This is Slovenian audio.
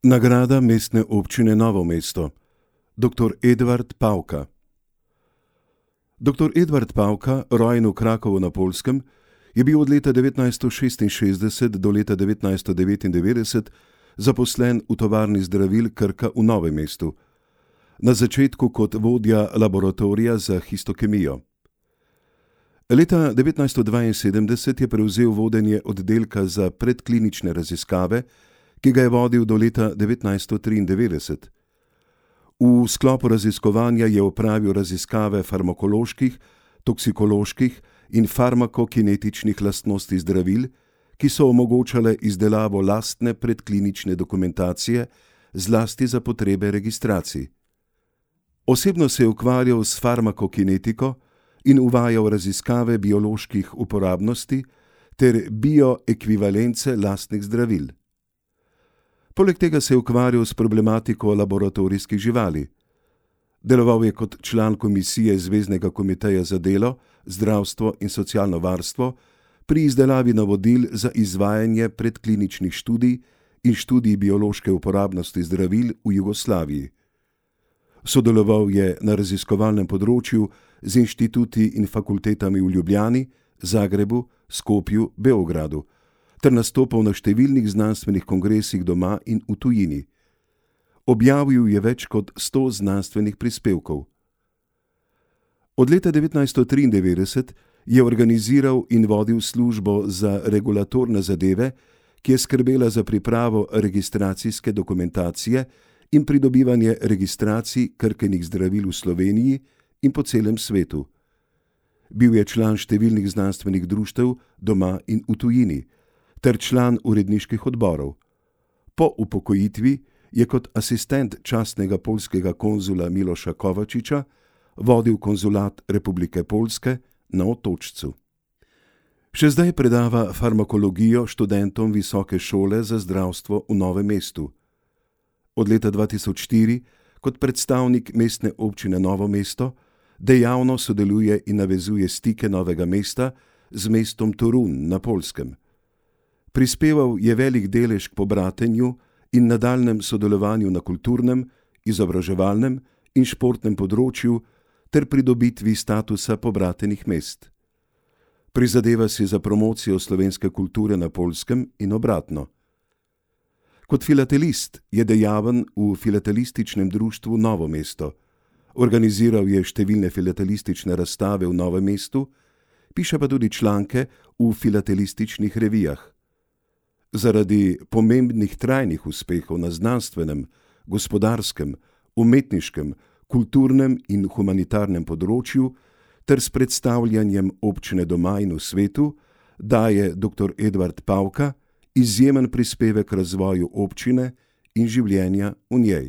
Nagrada Mestne občine Novo mesto. Dr. Edvard Pavka. Dr. Edvard Pavka, rojen v Krakovu na Poljskem, je bil od leta 1966 do leta 1999 zaposlen v tovarni zdravil Krka v Novem mestu, na začetku kot vodja laboratorija za histokemijo. Leta 1972 je prevzel vodenje oddelka za predklinične raziskave, ki ga je vodil do leta 1993. V sklopu raziskovanja je opravil raziskave farmakoloških, toksikoloških in farmakokinetičnih lastnosti zdravil, ki so omogočale izdelavo lastne predklinične dokumentacije, zlasti za potrebe registracij. Osebno se je ukvarjal s farmakokinetiko in uvajal raziskave bioloških uporabnosti ter bioekvivalence lastnih zdravil. Poleg tega se je ukvarjal s problematiko laboratorijskih živali. Deloval je kot član komisije Zveznega komiteja za delo, zdravstvo in socialno varstvo pri izdelavi navodil za izvajanje predkliničnih študij in študij biološke uporabnosti zdravil v Jugoslaviji. Sodeloval je na raziskovalnem področju z inštituti in fakultetami v Ljubljani, Zagrebu, Skopju, Beogradu, ter nastopal na številnih znanstvenih kongresih doma in v tujini. Objavil je več kot 100 znanstvenih prispevkov. Od leta 1993 je organiziral in vodil službo za regulatorne zadeve, ki je skrbela za pripravo registracijske dokumentacije in pridobivanje registracij Krkinih zdravil v Sloveniji in po celem svetu. Bil je član številnih znanstvenih društev doma in v tujini, ter član uredniških odborov. Po upokojitvi je kot asistent častnega poljskega konzula Miloša Kovačiča vodil konzulat Republike Poljske na Otočcu. Še zdaj predava farmakologijo študentom Visoke šole za zdravstvo v Novem mestu. Od leta 2004 kot predstavnik Mestne občine Novo mesto dejavno sodeluje in navezuje stike Novega mesta z mestom Torun na Poljskem. Prispeval je velik delež k pobratenju in nadaljnjem sodelovanju na kulturnem, izobraževalnem in športnem področju ter pridobitvi statusa pobratenih mest. Prizadeva si za promocijo slovenske kulture na Poljskem in obratno. Kot filatelist je dejaven v filatelističnem društvu Novo mesto. Organiziral je številne filatelistične razstave v Novem mestu, piše pa tudi članke v filatelističnih revijah. Zaradi pomembnih trajnih uspehov na znanstvenem, gospodarskem, umetniškem, kulturnem in humanitarnem področju ter s predstavljanjem občine doma in v svetu daje dr. Edvard Pavka izjemen prispevek k razvoju občine in življenja v njej.